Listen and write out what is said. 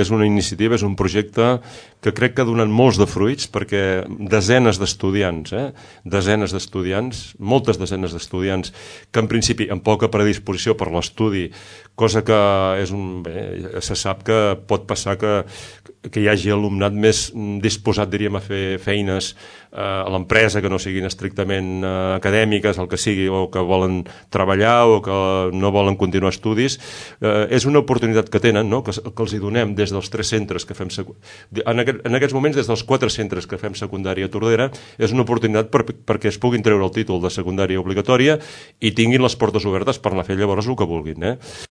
és una iniciativa, és un projecte que crec que ha donat molts de fruits, perquè desenes d'estudiants, moltes desenes d'estudiants, que en principi amb poca predisposició per l'estudi, cosa que se sap que pot passar que hi hagi alumnat més disposat, diríem, a fer feines a l'empresa que no siguin estrictament acadèmiques, el que sigui, o que volen treballar o que no volen continuar estudis. És una oportunitat que tenen, no? que els hi donem des dels 3 centres que fem en aquests moments des dels 4 centres que fem secundària a Tordera. És una oportunitat perquè es puguin treure el títol de secundària obligatòria i tinguin les portes obertes per anar a fer llavors el que vulguin.